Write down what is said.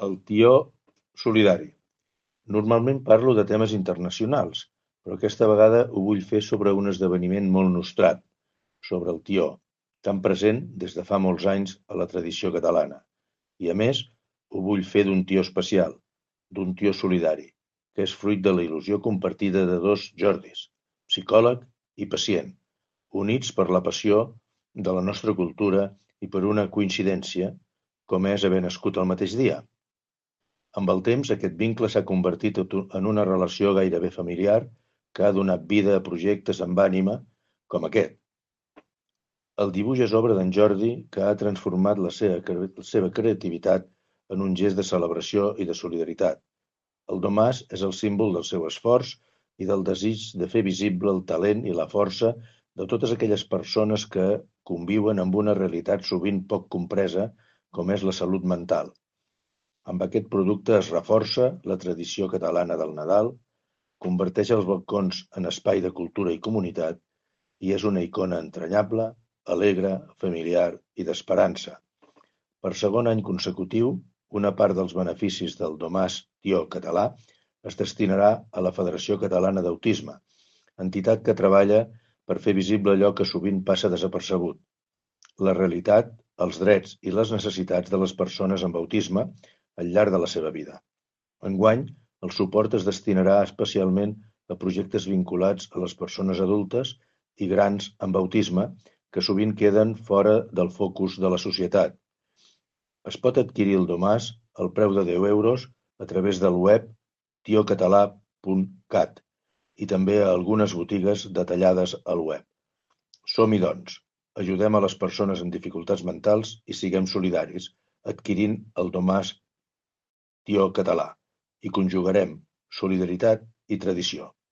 El tió solidari. Normalment parlo de temes internacionals, però aquesta vegada ho vull fer sobre un esdeveniment molt nostrat, sobre el tió, tan present des de fa molts anys a la tradició catalana. I a més, ho vull fer d'un tió especial, d'un tió solidari, que és fruit de la il·lusió compartida de dos Jordis, psicòleg i pacient, units per la passió de la nostra cultura i per una coincidència, com és haver nascut el mateix dia. Amb el temps, aquest vincle s'ha convertit en una relació gairebé familiar que ha donat vida a projectes amb ànima com aquest. El dibuix és obra d'en Jordi, que ha transformat la seva creativitat en un gest de celebració i de solidaritat. El domàs és el símbol del seu esforç i del desig de fer visible el talent i la força de totes aquelles persones que conviuen amb una realitat sovint poc compresa, com és la salut mental. Amb aquest producte es reforça la tradició catalana del Nadal, converteix els balcons en espai de cultura i comunitat i és una icona entranyable, alegre, familiar i d'esperança. Per segon any consecutiu, una part dels beneficis del Domàs Tió Català es destinarà a la Federació Catalana d'Autisme, entitat que treballa per fer visible allò que sovint passa desapercebut: la realitat, els drets i les necessitats de les persones amb autisme al llarg de la seva vida. Enguany, el suport es destinarà especialment a projectes vinculats a les persones adultes i grans amb autisme que sovint queden fora del focus de la societat. Es pot adquirir el domàs al preu de 10 euros a través del web tiocatalà.cat i també a algunes botigues detallades al web. Som-hi, doncs. Ajudem a les persones amb dificultats mentals i siguem solidaris, adquirint el domàs Tió Català, i conjugarem solidaritat i tradició.